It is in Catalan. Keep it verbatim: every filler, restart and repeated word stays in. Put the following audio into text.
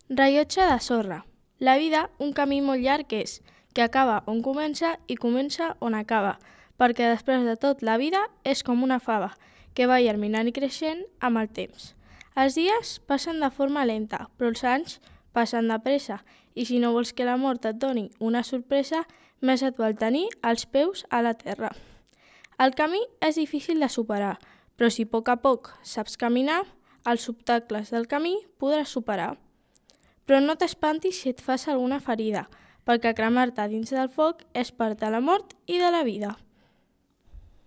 Rellotge de sorra. La vida, un camí molt llarg és, que acaba on comença i comença on acaba, perquè després de tot la vida és com una fava, que va germinant i creixent amb el temps. Els dies passen de forma lenta, però els anys passen de pressa, i si no vols que la mort et doni una sorpresa, més et val tenir els peus a la terra. El camí és difícil de superar, però si a poc a poc saps caminar, els obstacles del camí podràs superar. Però no t'espantis si et fas alguna ferida, perquè cremar-te dins del foc és part de la mort i de la vida.